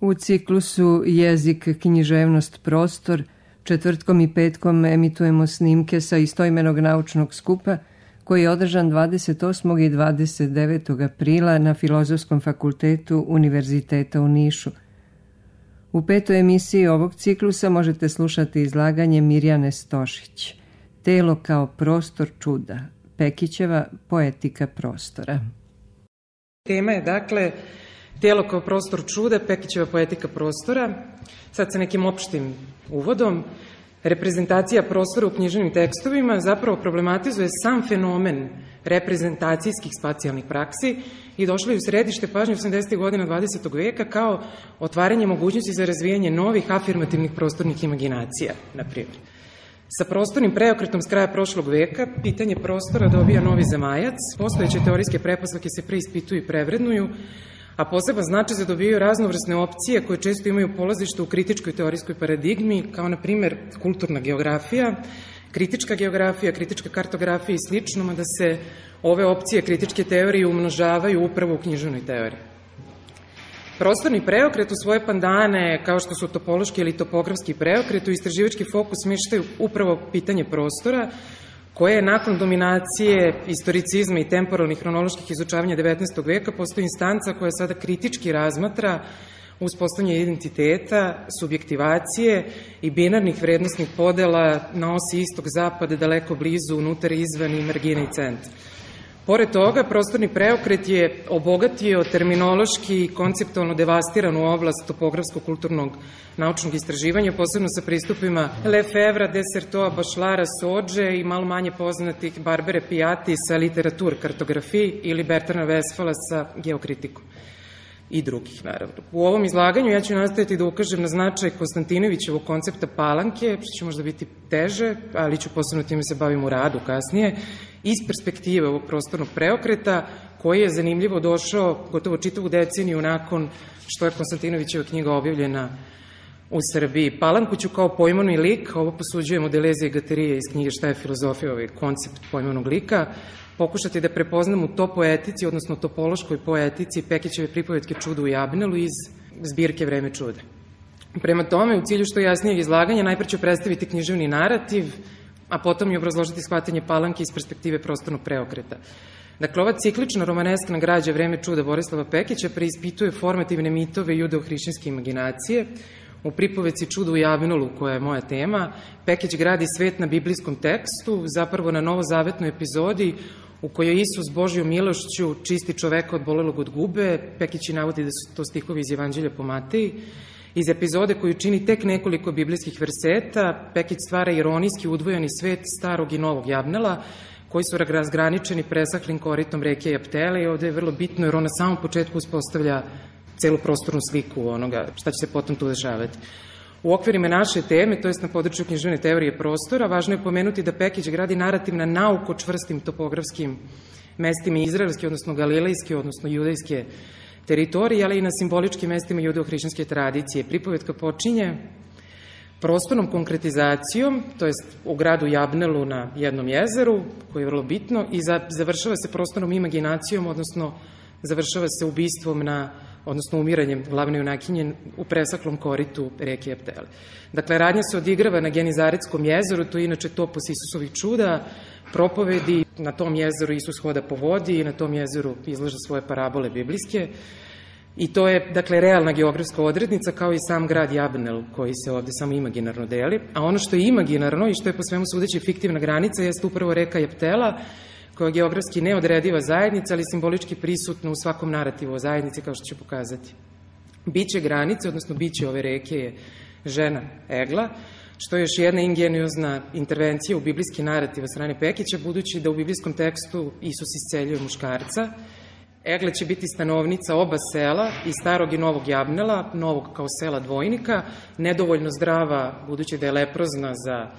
U ciklusu Jezik, književnost, prostor četvrtkom i petkom emitujemo snimke sa istoimenog naučnog skupa koji je održan 28. i 29. aprila na Filozofskom fakultetu Univerziteta u Nišu. U petoj emisiji ovog ciklusa možete slušati izlaganje Mirjane Stošić, Telo kao prostor čuda, Pekićeva poetika prostora. Tema je dakle Telo kao prostor čuda, Pekićeva poetika prostora. Sad sa nekim opštim uvodom. Reprezentacija prostora u književnim tekstovima zapravo problematizuje sam fenomen reprezentacijskih spacijalnih praksi i došla je u središte pažnje 80. godina 20. veka kao otvaranje mogućnosti za razvijanje novih afirmativnih prostornih imaginacija, na primjer. Sa prostornim preokretom s kraja prošlog veka pitanje prostora dobija novi zamajac, postojeće teorijske pretpostavke se preispituju i prevrednuju, a poseban značaj zadobijaju raznovrsne opcije koje često imaju polazište u kritičkoj teorijskoj paradigmi, kao na primer kulturna geografija, kritička kartografija i slično, mada se ove opcije kritičke teorije umnožavaju upravo u književnoj teoriji. Prostorni preokret u svoje pandane, kao što su topološki ili topografski preokret, u istraživački fokus smeštaju upravo pitanje prostora, koje je nakon dominacije istoricizma i temporalnih hronoloških izučavanja 19. veka postoji instanca koja sada kritički razmatra uspostavljanje identiteta, subjektivacije i binarnih vrednostnih podela na osi istog-zapad, daleko blizu, unutar, izvan i margine i centra. Pored toga, prostorni preokret je obogatio terminološki i konceptualno devastiranu oblast topografsko-kulturnog naučnog istraživanja, posebno sa pristupima Lefevra, Dessertoa, Bašlara, Sođe i malo manje poznatih Barbere Pijati sa literatur kartografiji ili Bertrana Westfala sa geokritikom i drugih, naravno. U ovom izlaganju ja ću nastaviti da ukažem na značaj Konstantinovićevog koncepta palanke, što će možda biti teže, ali ću posebno time se bavim u radu kasnije, iz perspektive ovog prostornog preokreta, koji je zanimljivo došao gotovo čitavu deceniju nakon što je Konstantinovićeva knjiga objavljena u Srbiji. Palanku ću kao pojmovni lik, ovo posuđujem od Deleuze i Guatterija iz knjige Šta je filozofija, ovaj koncept pojmovnog lika, pokušati da prepoznam u to poetici, odnosno topološkoj poetici Pekićeve pripovetke Čudo u Jabnelu iz zbirke Vreme čuda. Prema tome, u cilju što jasnijeg izlaganja, najpre ću predstaviti književni narativ, a potom i obrazložiti shvatanje palanke iz perspektive prostornog preokreta. Dakle, ova ciklična romaneskna građa Vreme čuda Borislava Pekića preispituje formativne mitove judeo-hrišćanske imaginacije. U pripovetci Čudo u Jabnelu, koja je moja tema, Pekić gradi svet na biblijskom tekstu, zapravo na novozavetnoj epizodi u kojoj Isus Božjom milošću čisti čoveka od bolelog od gube. Pekić navodi da su to stihovi iz Evanđelja po Mateji. Iz epizode koju čini tek nekoliko biblijskih verseta, Pekić stvara ironijski udvojeni svet starog i novog Jabnela, koji su razgraničeni presahlim koritom reke Japtele, i ovde je vrlo bitno jer on na samom početku uspostavlja celu prostornu sliku onoga šta će se potom tu dešavati. U okvirima naše teme, to jest na području književne teorije prostora, važno je pomenuti da Pekić gradi narativ na nauko čvrstim topografskim mestima izraelske, odnosno galilejske, odnosno judejske teritorije, ali i na simboličkim mestima judeo-hrišćanske tradicije. Pripovetka počinje prostornom konkretizacijom, to jest u gradu Jabnelu na jednom jezeru, koje je vrlo bitno, i završava se prostornom imaginacijom, odnosno završava se ubistvom odnosno umiranjem glavne junakinje u presaklom koritu reke Japtele. Dakle, radnja se odigrava na Genizaretskom jezeru, to je inače topos Isusovih čuda, propovedi, na tom jezeru Isus hoda po vodi i na tom jezeru izlaže svoje parabole biblijske. I to je, dakle, realna geografska odrednica, kao i sam grad Jabnel, koji se ovde samo imaginarno deli. A ono što je imaginarno i što je po svemu sudeći fiktivna granica jeste upravo reka Japtela, koja je geografski neodrediva zajednica, ali simbolički prisutna u svakom narativu o zajednici, kao što ću pokazati. Biće granice, odnosno biće ove reke je žena Egla, što je još jedna ingeniozna intervencija u biblijski narativ od strane Pekića, budući da u biblijskom tekstu Isus isceljuje muškarca. Egla će biti stanovnica oba sela, i starog i novog Jabnela, novog kao sela dvojnika, nedovoljno zdrava, budući da je leprozna za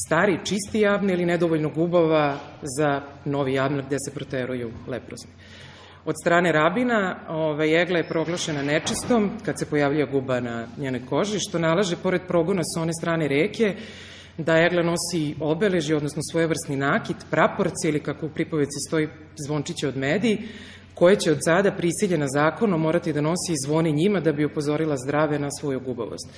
stari, čisti Jabnel, ili nedovoljno gubava za novi Jabnel gde se proteruju leprozni. Od strane rabina Egla je proglašena nečistom kad se pojavlja guba na njenoj koži, što nalaže, pored progona sa one strane reke, da Egla nosi obeležje, odnosno svojevrsni nakit, praporce ili, kako u pripovedci stoji, zvončiće od medi, koje će od sada prisiljena zakonom morati da nosi i zvoni njima da bi upozorila zdrave na svoju gubavost.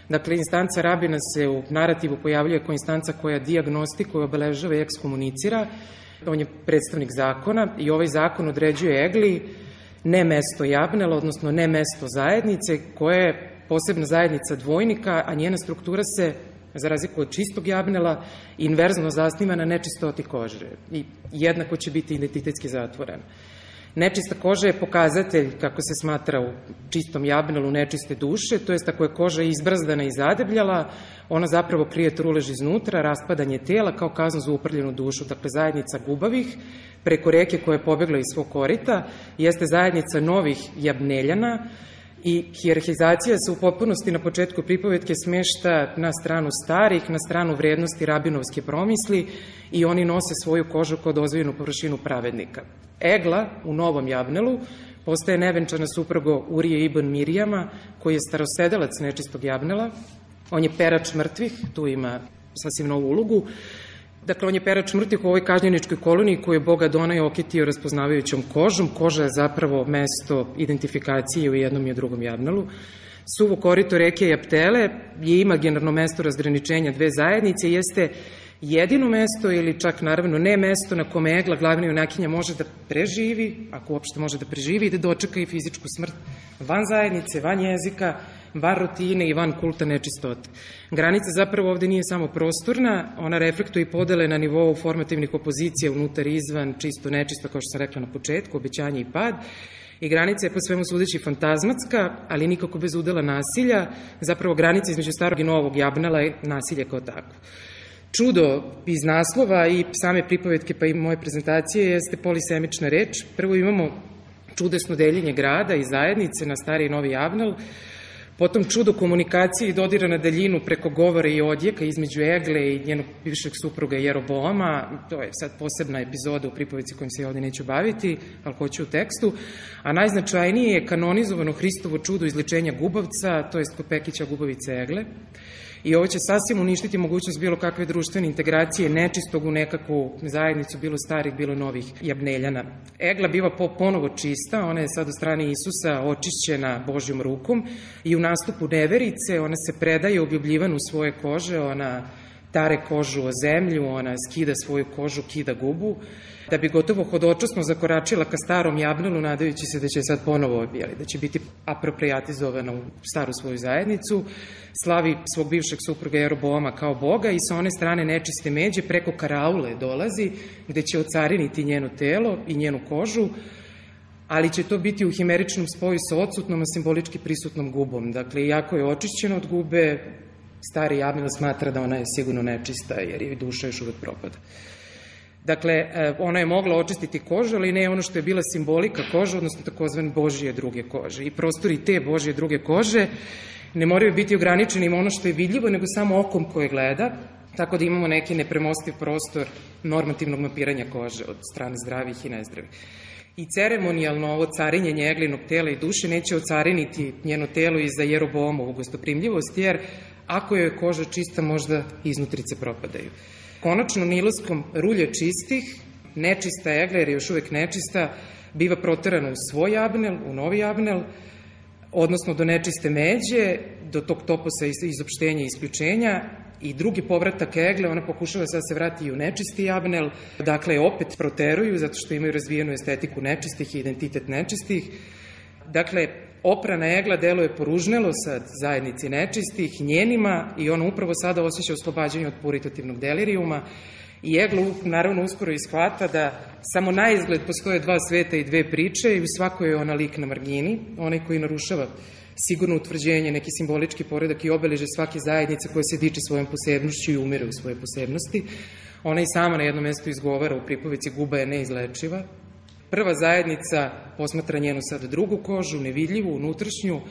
Dakle, instanca rabina se u narativu pojavljuje kao instanca koja dijagnostikuje, obeležava i ekskomunicira. On je predstavnik zakona i ovaj zakon određuje egli ne mesto Jabnela, odnosno ne mesto zajednice, koja je posebna zajednica dvojnika, a njena struktura se, za razliku od čistog Jabnela, inverzno zasniva na nečistoti kože i jednako će biti identitetski zatvorena. Nečista koža je pokazatelj, kako se smatra u čistom Jabnelu, nečiste duše, to jest ako je koža izbrazdana i zadebljala, ona zapravo krije trulež iznutra, raspadanje tela kao kaznu za uprljenu dušu. Dakle, zajednica gubavih, preko reke koja je pobegla iz svog korita, jeste zajednica novih Jabneljana i hijerarhizacija se u potpunosti na početku pripovetke smešta na stranu starih, na stranu vrednosti rabinovske promisli i oni nose svoju kožu kao dozvoljenu površinu pravednika. Egla u Novom Jabnelu postaje nevenčana suprugo Urije ibn Mirijama, koji je starosedelac nečistog Jabnela. On je perač mrtvih, tu ima sasvim novu ulogu. Dakle, on je perač mrtvih u ovoj kažnjeničkoj koloniji koju je Bog Adonaj okitio raspoznavajućom kožom. Koža je zapravo mesto identifikacije u jednom i u drugom Jabnelu. Suvo korito reke Japtele je imaginarno mesto razgraničenja dve zajednice, jeste jedino mesto ili čak naravno ne mesto na kome Egla, glavna junakinja, može da preživi, ako uopšte može da preživi, i da dočeka i fizičku smrt van zajednice, van jezika, van rutine i van kulta nečistote. Granica zapravo ovde nije samo prostorna, ona reflektuje i podele na nivou formativnih opozicija unutar i izvan, čisto nečisto, kao što sam rekla na početku, obećanje i pad. I granica je po svemu sudeći fantazmatska, ali nikako bez udela nasilja. Zapravo granica između starog i novog Jabnela je nasilje kao tako. Čudo iz naslova i same pripovetke pa i moje prezentacije jeste polisemična reč. Prvo imamo čudesno deljenje grada i zajednice na stari i novi Jabnel, potom čudo komunikacije i dodira na daljinu preko govora i odjeka između Egle i njenog bivšeg supruga Jeroboama. To je sad posebna epizoda u pripovetci kojom se ovde neću baviti, ali hoću u tekstu. A najznačajnije je kanonizovano Hristovo čudo izlečenja gubavca, to jest kod Pekića gubavice Egle. I ovo će sasvim uništiti mogućnost bilo kakve društvene integracije nečistog u nekakvu zajednicu, bilo starih, bilo novih Jabneljana. Egla biva ponovo čista, ona je sad od strane Isusa očišćena Božjom rukom i u nastupu neverice ona se predaje objubljivanu svoje kože, ona tare kožu o zemlju, ona skida svoju kožu, kida gubu, da bi gotovo hodočasno zakoračila ka starom Jabnelu, nadajući se da će sad ponovo, da će biti aproprijatizovana u staru svoju zajednicu, slavi svog bivšeg supruga Jeroboama kao Boga i sa one strane nečiste međe preko karaule dolazi, gde će ocariniti njeno telo i njenu kožu, ali će to biti u himeričnom spoju sa odsutnom, a simbolički prisutnom gubom. Dakle, iako je očišćena od gube, stari Jabnel smatra da ona je sigurno nečista, jer je duša još uvek propada. Dakle, ona je mogla očistiti kožu, ali ne ono što je bila simbolika kože, odnosno takozvane Božije druge kože. I prostori te Božije druge kože ne moraju biti ograničeni ima ono što je vidljivo, nego samo okom koje gleda, tako da imamo neki nepremostiv prostor normativnog mapiranja kože od strane zdravih i nezdravih. I ceremonijalno ovo carinjenje Eglinog tela i duše neće ocariniti njeno telo i za Jeroboamovu gostoprimljivost, jer ako je koža čista, možda iznutrice propadaju. Konačno, niloskom rulje čistih, nečista Egla, jer je još uvek nečista, biva proterana u svoj Jabnel, u novi Jabnel, odnosno do nečiste međe, do tog toposa izopštenja i isključenja, i drugi povratak Egle, ona pokušava sad se vrati i u nečisti Jabnel, dakle opet proteruju zato što imaju razvijenu estetiku nečistih i identitet nečistih. Dakle, oprana Egla deluje poružnelo sad zajednici nečistih, njenima, i ona upravo sada osjeća oslobađanje od puritativnog delirijuma i Egla naravno uskoro ishvata da samo na izgled postoje dva sveta i dve priče i u svakoj je ona lik na margini, onaj koji narušava sigurno utvrđenje, neki simbolički poredak i obeleže svake zajednice koja se diče svojom posebnošću i umire u svoje posebnosti. Ona i sama na jednom mestu izgovara u pripovici guba je neizlečiva. Prva zajednica posmatra njenu sad drugu kožu, nevidljivu, unutrašnju.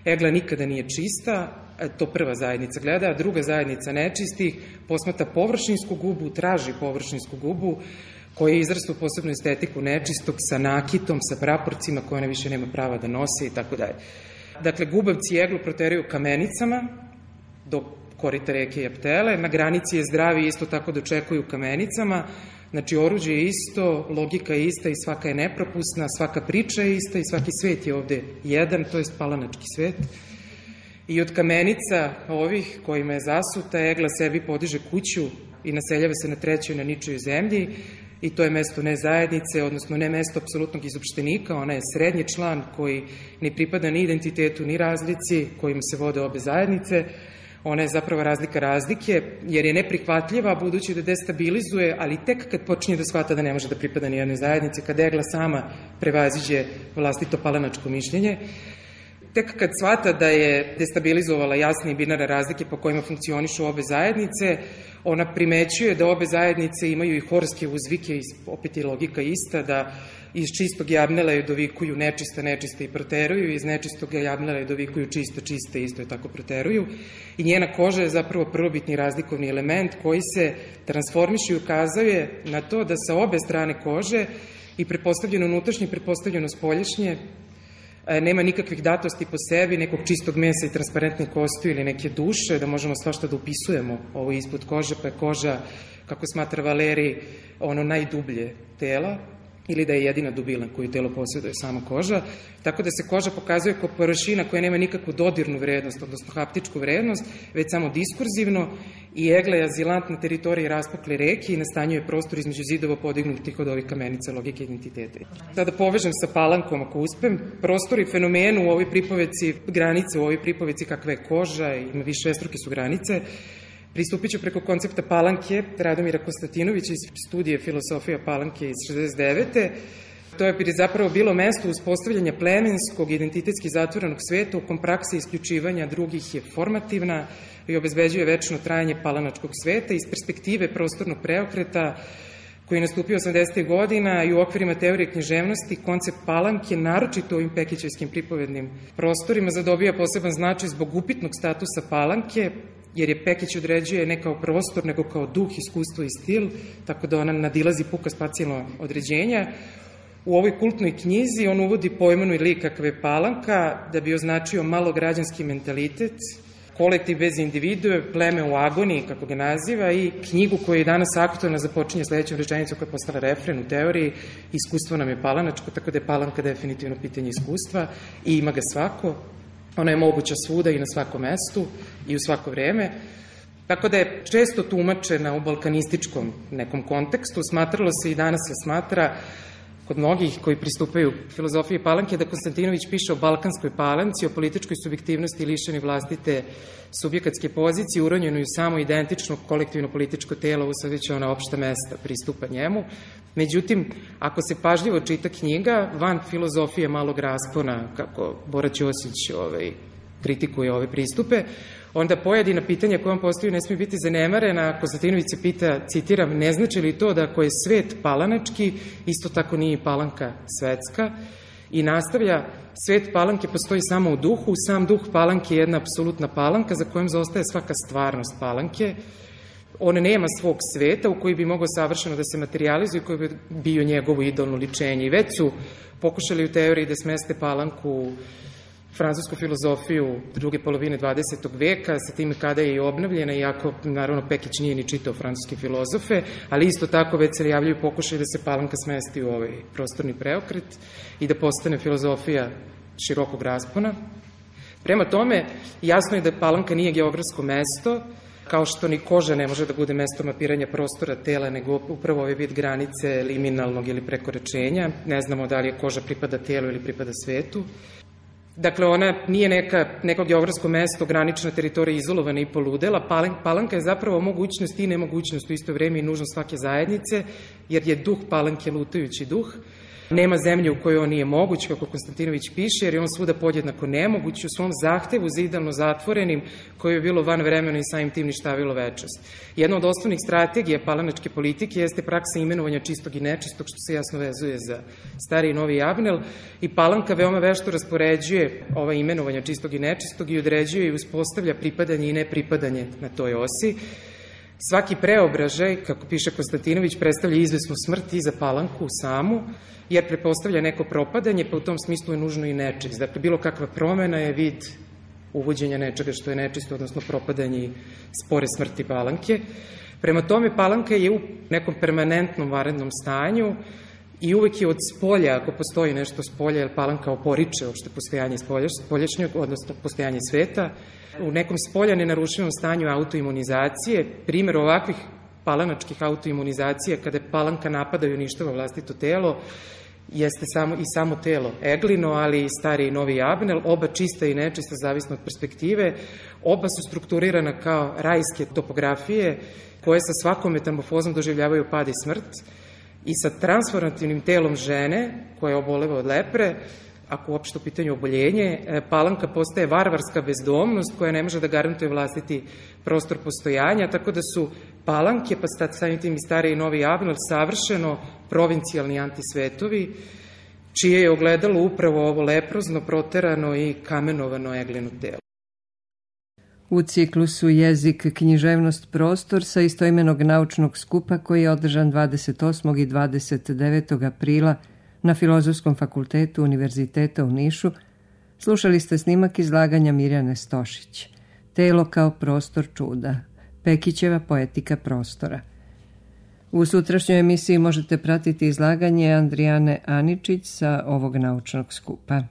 Egla nikada nije čista, to prva zajednica gleda, a druga zajednica nečistih posmatra površinsku gubu, traži površinsku gubu, koja izrastu posebnu estetiku nečistog sa nakitom, sa praporcima koje ona više nema prava da nose i tako dalje. Dakle, gubavci Eglu proteraju kamenicama do korita reke Japtele, na granici je zdravi isto tako dočekuju kamenicama, Znači, oruđe je isto, logika je ista i svaka je nepropusna, svaka priča je ista i svaki svet je ovde jedan, to je palanački svet. I od kamenica ovih kojima je zasuta, Egla sebi podiže kuću i naseljava se na trećoj na ničoj zemlji i to je mesto ne zajednice, odnosno ne mesto apsolutnog izopštenika, ona je srednji član koji ne pripada ni identitetu ni razlici kojim se vode obe zajednice. Ona je zapravo razlika razlike, jer je neprihvatljiva, budući da destabilizuje, ali tek kad počinje da shvata da ne može da pripada ni jednoj zajednici, kad Egla sama prevaziđe vlastito palanačko mišljenje, tek kad shvata da je destabilizovala jasne i binarne razlike po kojima funkcionišu obe zajednice, ona primećuje da obe zajednice imaju i horske uzvike, i opet je logika ista, da iz čistog jabnela je dovikuju nečista, nečiste i proteruju, iz nečistog jabnela je dovikuju čista, čiste, isto je tako proteruju. I njena koža je zapravo prvobitni razlikovni element koji se transformiše i ukazuje na to da sa obe strane kože i prepostavljeno unutrašnje i prepostavljeno spoljašnje nema nikakvih datosti po sebi, nekog čistog mesa i transparentne kosti ili neke duše, da možemo svašta da upisujemo ovo ispod kože, pa je koža, kako smatra Valeri, ono najdublje tela, ili da je jedina dubina koju telo posjeduje sama koža, tako da se koža pokazuje kao površina koja nema nikakvu dodirnu vrednost, odnosno haptičku vrednost, već samo diskurzivno, i Egla je azilant na teritoriji raspukle reke i nastanjuje prostor između zidova podignutih od ovih kamenica logike identiteta. Sada povežem sa Palankom, ako uspem, prostor i fenomenu u ovoj pripoveci, granice u ovoj pripoveci kakva je koža, ima višestruke su granice. Pristupit ću preko koncepta Palanke Radomira Konstantinovića iz studije Filosofija Palanke iz 69. To je zapravo bilo mesto uspostavljanja plemenskog, identitetski zatvorenog sveta u kom praksa isključivanja drugih je formativna i obezbeđuje večno trajanje palanačkog sveta iz perspektive prostornog preokreta koji je nastupio 80. godina i u okvirima teorije književnosti, koncept Palanke, naročito u ovim pekićevskim pripovednim prostorima, zadobija poseban značaj zbog upitnog statusa Palanke, jer je Pekić određuje ne kao prostor, nego kao duh, iskustvo i stil, tako da ona nadilazi puka spacijalno određenja. U ovoj kultnoj knjizi on uvodi pojmenu i lik kakve je Palanka, da bi označio malograđanski mentalitet, kolektiv bez individue, pleme u agoniji, kako ga naziva, i knjigu koja je danas aktualna započinje sledećom rečenicom koja je postala refren u teoriji: iskustvo nam je palanačko, tako da je Palanka definitivno pitanje iskustva i ima ga svako. Ona je moguća svuda i na svakom mestu i u svako vreme. Tako da je često tumačena u balkanističkom nekom kontekstu. Smatralo se i danas se smatra kod mnogih koji pristupaju filozofiji Palanke da Konstantinović piše o balkanskoj palanci, o političkoj subjektivnosti lišeni vlastite subjekatske pozicije, uronjeno u samo identično kolektivno političko telo, usvajajući ona opšta mesta pristupa njemu. Međutim, ako se pažljivo čita knjiga, van filozofije malog raspona, kako Bora Ćosić kritikuje ove pristupe, onda pojedina pitanja koje on postavio ne smije biti zanemarena. Konstantinović se pita, citiram, ne znači li to da ako je svet palanački, isto tako nije i Palanka svetska, i nastavlja, svet Palanke postoji samo u duhu, sam duh Palanke je jedna apsolutna Palanka za kojom zaostaje svaka stvarnost Palanke. On nema svog sveta u koji bi mogao savršeno da se materializuje i koji bi bio njegovo idolno ličenje. I već su pokušali u teoriji da smeste Palanku u francusku filozofiju druge polovine 20. veka, sa tim kada je i obnovljena, iako, naravno, Pekić nije ni čitao francuske filozofe, ali isto tako već se javljaju pokušaj da se Palanka smesti u ovaj prostorni preokret i da postane filozofija širokog raspona. Prema tome, jasno je da Palanka nije geografsko mesto, kao što ni koža ne može da bude mesto mapiranja prostora tela, nego upravo ovaj vid granice liminalnog ili prekoračenja. Ne znamo da li je koža pripada telu ili pripada svetu. Dakle, ona nije neko geografsko mesto, granična teritorija, izolovana i poludela. Palanka je zapravo mogućnost i nemogućnost u isto vreme i nužnost svake zajednice, jer je duh Palanke lutajući duh. Nema zemlje u kojoj on nije moguć, kako Konstantinović piše, jer je on svuda podjednako nemoguć u svom zahtevu za idealno zatvorenim, koje je bilo van vremena i samim tim ništavilo večnost. Jedna od osnovnih strategija palanačke politike jeste praksa imenovanja čistog i nečistog, što se jasno vezuje za stari i novi Javnel, i Palanka veoma vešto raspoređuje ova imenovanja čistog i nečistog i određuje i uspostavlja pripadanje i nepripadanje na toj osi. Svaki preobražaj, kako piše Konstantinović, predstavlja izvesnu smrt i za Palanku samu, jer prepostavlja neko propadanje, pa u tom smislu je nužno i nečist. Dakle, bilo kakva promena je vid uvođenja nečega što je nečisto, odnosno propadanje i spore smrti Palanke. Prema tome, Palanka je u nekom permanentnom vanrednom stanju i uvek je od spolja, ako postoji nešto spolja, jer Palanka oporiče uopšte postojanje spoljašnjeg, odnosno postojanje sveta, u nekom spolja nenarušivom stanju autoimunizacije. Primer ovakvih palanačkih autoimunizacija, kada Palanka napada i uništava vlastito telo, jeste samo telo Eglino, ali i stari i novi Abnel, oba čista i nečista, zavisno od perspektive. Oba su strukturirana kao rajske topografije, koje sa svakom metamorfozom doživljavaju pad i smrt, i sa transformativnim telom žene, koja oboleva od lepre, ako uopšte u pitanju oboljenje, Palanka postaje varvarska bezdomnost koja ne može da garantuje vlastiti prostor postojanja, tako da su Palanke, pa samim tim i stari i novi Abnel, savršeno provincijalni antisvetovi, čije je ogledalo upravo ovo leprozno, proterano i kamenovano Eglino telo. U ciklusu Jezik, književnost, prostor sa istoimenog naučnog skupa koji je održan 28. i 29. aprila na Filozofskom fakultetu Univerziteta u Nišu, slušali ste snimak izlaganja Mirjane Stošić, Telo kao prostor čuda, Pekićeva poetika prostora. U sutrašnjoj emisiji možete pratiti izlaganje Andrijane Aničić sa ovog naučnog skupa.